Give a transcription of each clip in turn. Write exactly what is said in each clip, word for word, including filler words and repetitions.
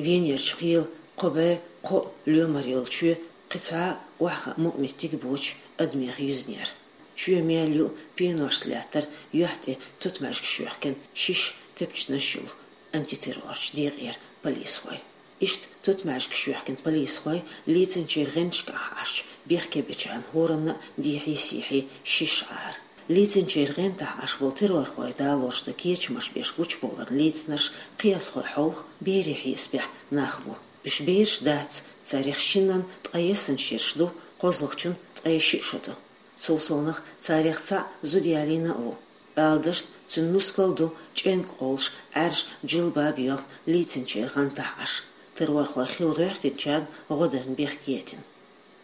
Венерчу кхелан кхо бӀе кхо лоьмар йолу чоь кхин цхьа а охьахаа мукъаметтиг боцуш адамех юьзна яра. Чоь мел ю, пеношца лаьттара, юьхь тӀе тутмаьжгаш йоьхкина шишша тепчанаш йолу антитеррорчу декъера полисхой. Иштта тутмаьжгаш йоьхкина полисхой лецначеран гӀанташкахь Ӏаш бехке бечарна хӀоранна а дехьий-сехьий шишша Ӏара. Лецначеран гӀанташкахь Ӏаш болу террорхой далош дан кечамаш беш гучубовларна лецнарш кхиазхой хьовха, берийн хьесапехь нах бу. Уьш бераш дац, царех шиннан ткъе ялх шераш ду, кхозлагӀчун ткъе шиъ шо ду. Цул совнаха царех цхьаъ зуда ялийна а ву. Ала дашна, цуьнан нускал ду, чӀенга къовлуш, Ӏаьржа, жилбаб йоьхна лецначеран гӀанташкахь Ӏаш, террорхой хила гӀоьртинчарна гӀо дарна бехке а дина.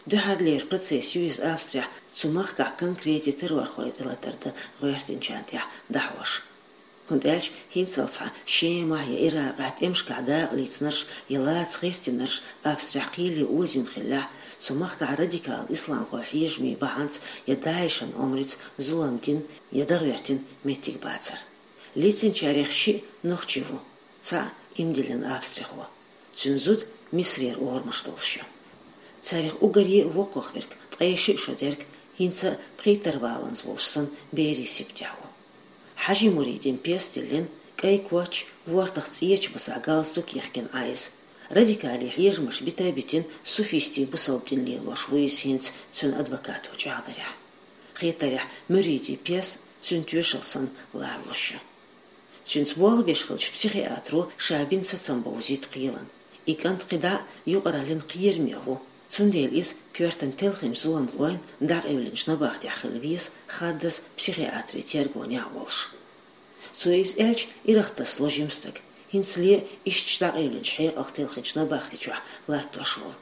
Дуьххьарлера процесс ю иза Австрехь, цу махкахь конкрете террорхой тӀелатар дан гӀоьртинчарна тӀехь дӀахьош. ХӀунда аьлча хӀинццалц Шемахь я Иракъехь тӀемашкахь дакъалецнарш я лаца гӀиртинарш Австрехь кхеле озийна хиллехь, цу махкахь радикал исламхойн хьежамийн бахьанца я ДАИШан омрица зулам дина я дӀагӀоьртина меттиг бацара. Лецначарех шиъ нохчи ву, цхьаъ ийман диллина австрихо. Цуьнан зуда Мисарера орамаш долуш ю. Царех уггаре а воккхах верг, ткъе шиъ шо дерг, хӀинца а пхийттара валанза волуш санна, берийн сибатехь ву. Хьажи-муридийн пьеса диллина, кӀайн коч, вортах цӀеча басахь галстук яхкина Ӏа иза. Радикале хьежамаш бита а битина, суфистийн бусалба дин лелош ву иза хӀинца, цуьнан адвокато чӀагӀдарехь. Хетарехь, муридийн пьеса цуьнан тоьшалла санна ларалуш ю. Цуьнца болх беш хиллачу психиатро ша бина сацам бовзийта кхелан. И кӀант кхидӀа а юкъараллин кхераме ву, цундела иза коьртана телхинчу зуламхойн дӀакъевлинчу набахтехь хила веза, хаддаза психиатрийн тергонехь а волуш. Цо иза аьлча, ирахтаса ло жима стаг, хӀинцале а иштта дӀакъевлинчу хьекъалх телхинчу набахти чохь латтош волу.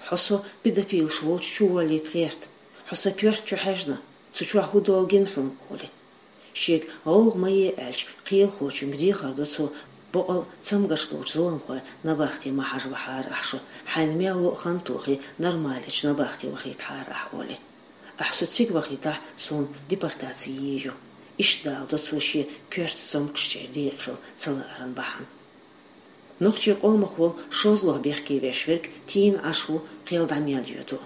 Хьо со педофилаш волчу чу воллийта гӀерта. Хьо сан коьрта чу хьаьжна, цу чохь хӀун долу гина хьуна, олий. Шега гӀовгӀа ма е аьлча, кхелахочуьнга дехар до цо: бакъ а, цамгарш долчу зуламхойн набахте ма хьажа вахьара ахь шу, хьайна мел ло а хан тохий, нормалечу набахте вахийтахьара ахь, олий. Ахь со цига вахийтахь, суна депортаци е ю. Иштта даладо цо шен коьртачу цомгушчеран декъахь хила ца лааран бахьана. Нохчийн къомах волу шозлагӀа бехке веш верг тийна Ӏаш ву, кхел дӀа мел йоьду.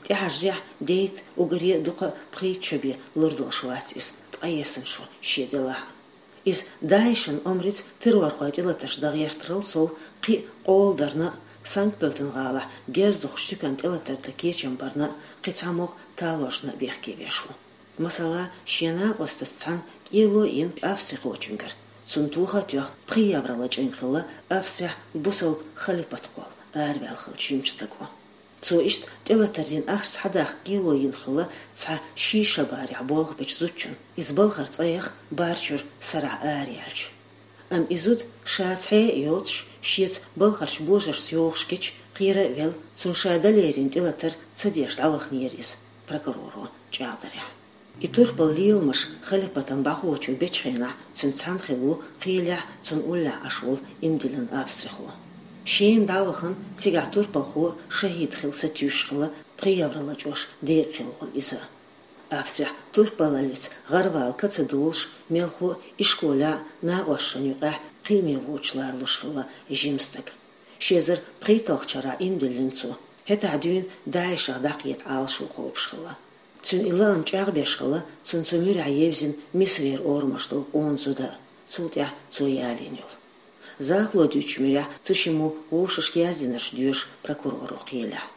ТӀехьажарехь, дейта, уггаре а дукха а пхийтта шо бен лур долуш вац иза, ткъе ялх шо шен делахь а. Иза ДАИШан омрица террорхойн тӀелатарш дан гӀертарал сов, кхин а къола дарна а, Санкт-Пёльтен-гӀалахь герз духучу туьканна тӀелатар дан кечам барна а, кхин цхьамогӀа талоршна а бехке веш ву. Масала, шен накъостаца цхьаьна кӀело а йина австрихочуьнгара, цунна тоха а тоьхна, пхи евро лачкъийна хилла Австрехь бусалба халипат кхолла араваьлла хиллачу жимачу стаго. Цо иштта тӀелатар дина ахча схьадаккха кӀело йина хилла цхьа ши шо барехь болх бечу зудчунна. Иза балхара цӀа яха бар чуьра сарахь араяьлча. Амма и зуда, ша цхьа а йоцуш, шеца балхарчу божаршца йогӀуш гича, кхера а велла, цунна ша дан лерина тӀелатар ца деш дӀаваханера иза, прокуроро чӀагӀдарехь. И турпал леламаш халипатан бӀахочо бечу хенахь цуьнца цхьаьна хилла ву кхелехь, цунна уллехь Ӏаш волу ийман диллина австрихо. Шема дӀа а вахана, цигахь турпалхо шахӀид хила сатуьйсуш хилла, пхи евро лачкъош декъахь хилла волу иза. Австрехь турпалаллица гӀарвала ка ца долуш, мелхо а, ишколехь а, накъосташна юкъахь а кхиаме воцуш ларалуш хилла жима стаг. Ши эзар пхийтталгӀачу шарахь ийман диллина цо. ХӀетахь дуьйна ДАИШах дӀакхета Ӏалашо кхобуш хилла. Цуьнан и лаам чӀагӀбеш хилла цунна цу муьрехь евзина Мисарера орамаш долу къона зуда а, цул тӀаьхьа цо ялийна йолу. Захало дуьйцучу муьрехь, цу шиммо вовшашка яздинарш доьшу прокуроро кхелехь.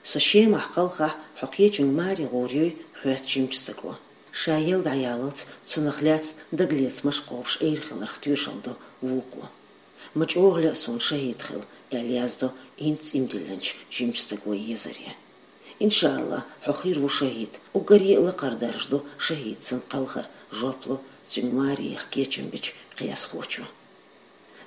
Со Шемахь кхалхахь, хьо кхечуьнга маре гӀур юй, хоьтту жимачу стаго. Ша елла дӀаяллалц цунах лаьцна дагалецамаш кхобуш Ӏийр хиларх тоьшалла до вукхо. Ма чӀогӀа лаьа суна шахӀид хила, аьлла яздо хӀинца ийман диллинчу жимачу стаго езаре. Иншалла, хьо хир ву шахӀид, уггаре а лакхара дарж ду шахӀид санна кхалхар, жоп ло цуьнга маре яха кечам бичу кхиазхочо.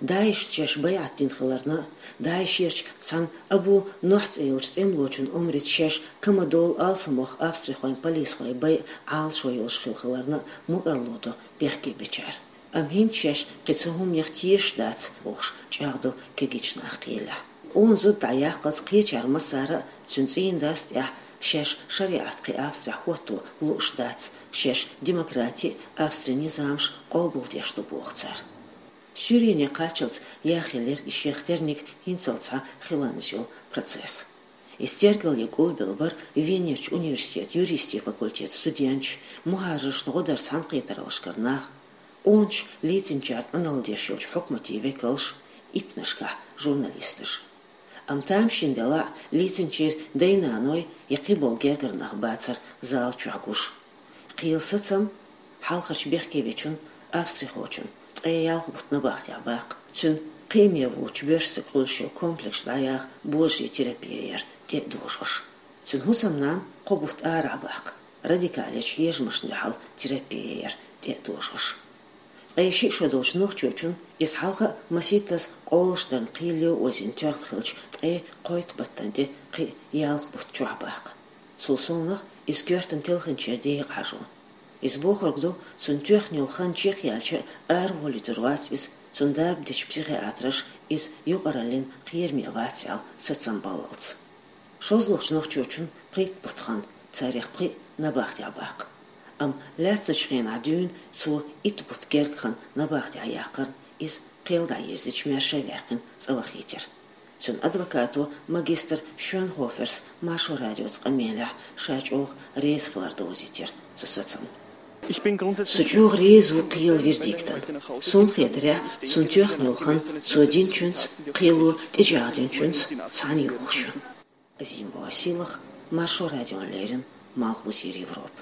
ДАИШца шаьш байӀат дина хиларна а, ДАИШерчу цхьана Абу Нохь цӀе йолчу тӀемалочун омрица шаьш камадолу алсамох австрихойн полисхойн байа Ӏалашо йолуш хила хиларна а мукӀарло до бехке бечара. Амма хӀинца шаьш кхин цу хӀуманех тешаш дац бохуш чӀагӀдо кегийчу наха кхелехь. Къона зуда дӀаяккхалц кхечара массара а цуьнан цӀийнан дас тӀехь шаьш шариӀат кхин Австрехь хӀотто лууш дац, шаьш демократи а, Австрин низамаш а къобалдеш ду боху цара. Суьйрене кхаччалца яхъеллера и шех терниг хӀинццалц хьа хиланза йола процесс. Иза тергалъе гулбелла бара Венерчу университетан юристийн факультетан студенташ, мухӀажаршна гӀо дар цхьаьнакхетараллашкара нах, къоначу лецначарна Ӏуналла деш йолчу хьукматийн векалш, иттаннашкахь журналисташ. Амма тамашийна делахь а, лецначеран дай-наной я кхиболу гергара нах бацара зала чохь гуш. Кхелан сацам хьалхарчу бехкевечун, австрихочун, ткъе ялх бутт набахтехь баккха. Цуьнан кхиаме воцучу боьрша стаг хуьлуш йолу комплекс дӀаяха божарийн терапи яр тӀе а дожош. Цуьнан хӀусамнана кхо бутт арахь баккха, радикалечу хьежамашна дуьхьал терапи яр тӀе а дожош. Ткъе шиъ шо долчу нохчочун, иза хьалха а масийттаза къолаш дарна кхело озийна тоьхна хилча, ткъе кхойтта баттана тӀе кхин а ялх бутт чохь баккха. Цул совнаха иза коьртана телхинчеран декъа хьажо. Иза бохург ду, цунна тоьхна йолу хан чекхъяьлча а, араволуьйтур вац иза, цунна дарба дечу психиатраша иза юкъараллин кхераме вац аьлла сацам баллалц. ШозлагӀчу нохчочун пхийтта бутт хан, царех пхиъ набахтехь баккха. Амма лаьцначу хенахь дуьйна цо итт бутт герга хан набахтехь яккхарна, иза кхел дӀаерзича маьрша а ваьккхина цӀа вахийтира. Цуьнан адвокато магистр Шонхоферс Маршо радиоца къамелехь ша чӀогӀа реза хилар довзийтира цу сацамна. Со чӀогӀа реза ву кхелан вердиктана. Суна хетарехь, цунна тоьхна йолу хан цо динчуьнца, кхело тӀечӀагӀдинчуьнца цхьаьна йохуш ю. Азимова Силах, Маршо радиона леррина, Малхбузера Европа.